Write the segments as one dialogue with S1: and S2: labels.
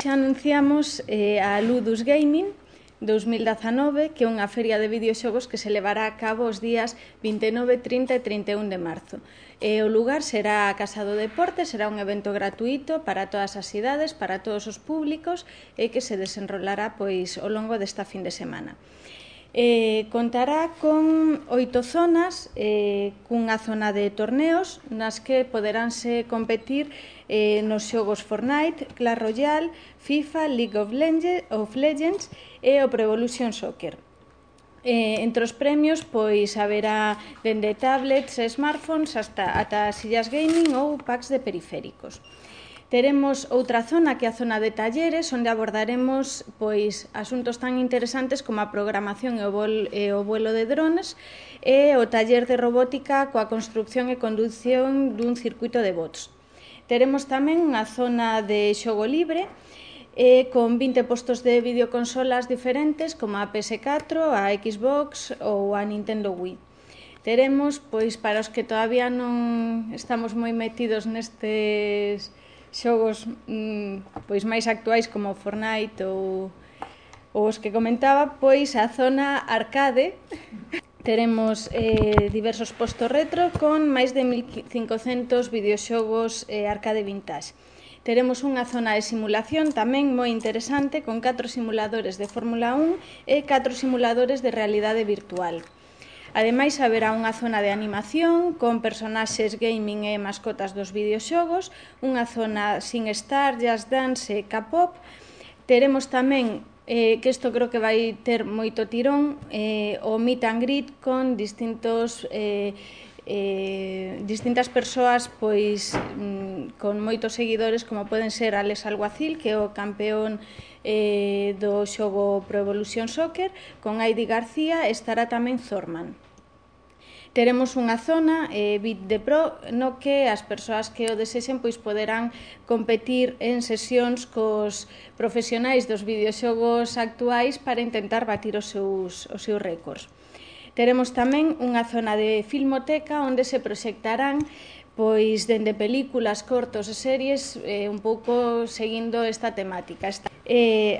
S1: xa anunciamos a Ludus Gaming 2019, que é unha feria de videoxogos que se levará a cabo os días 29, 30 e 31 de marzo. O lugar será a Casa do Deporte, será un evento gratuito para todas as idades, para todos os públicos e que se desenrolará ao longo desta fin de semana. Contará con 8 zonas, cunha zona de torneos nas que poderánse competir nos xogos Fortnite, Clash Royale, FIFA, League of Legends e o Pro Evolution Soccer. Entre os premios haberá dende tablets e smartphones ata sillas gaming ou packs de periféricos. Teremos outra zona que é a zona de talleres, onde abordaremos asuntos tan interesantes como a programación e o vuelo de drones e o taller de robótica coa construcción e condución dun circuito de bots. Teremos tamén unha zona de xogo libre con 20 postos de videoconsolas diferentes como a PS4, a Xbox ou a Nintendo Wii. Teremos, para os que todavía non estamos moi metidos nestes xogos máis actuais como Fortnite ou os que comentaba, a zona arcade. Teremos diversos postos retro con máis de 1500 videoxogos arcade vintage. Teremos unha zona de simulación tamén moi interesante con 4 simuladores de Fórmula 1 e 4 simuladores de realidade virtual. Ademais, haberá unha zona de animación con personaxes gaming e mascotas dos videoxogos, unha zona sin estar, jazz dance e K-pop. Teremos tamén, que isto creo que vai ter moito tirón, o meet and greet con distintas persoas con moitos seguidores, como poden ser Alex Alguacil, que é o campeón do xogo Pro Evolution Soccer, con Heidi García, e estará tamén Zorman. Teremos unha zona, Beat the Pro, no que as persoas que o desexen poderán competir en sesións cos profesionais dos videoxogos actuais para intentar batir os seus récords. Teremos tamén unha zona de filmoteca onde se proxectarán dende películas, cortos e series un pouco seguindo esta temática.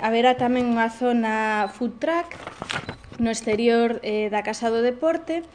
S1: Haberá tamén unha zona food truck no exterior da Casa do Deporte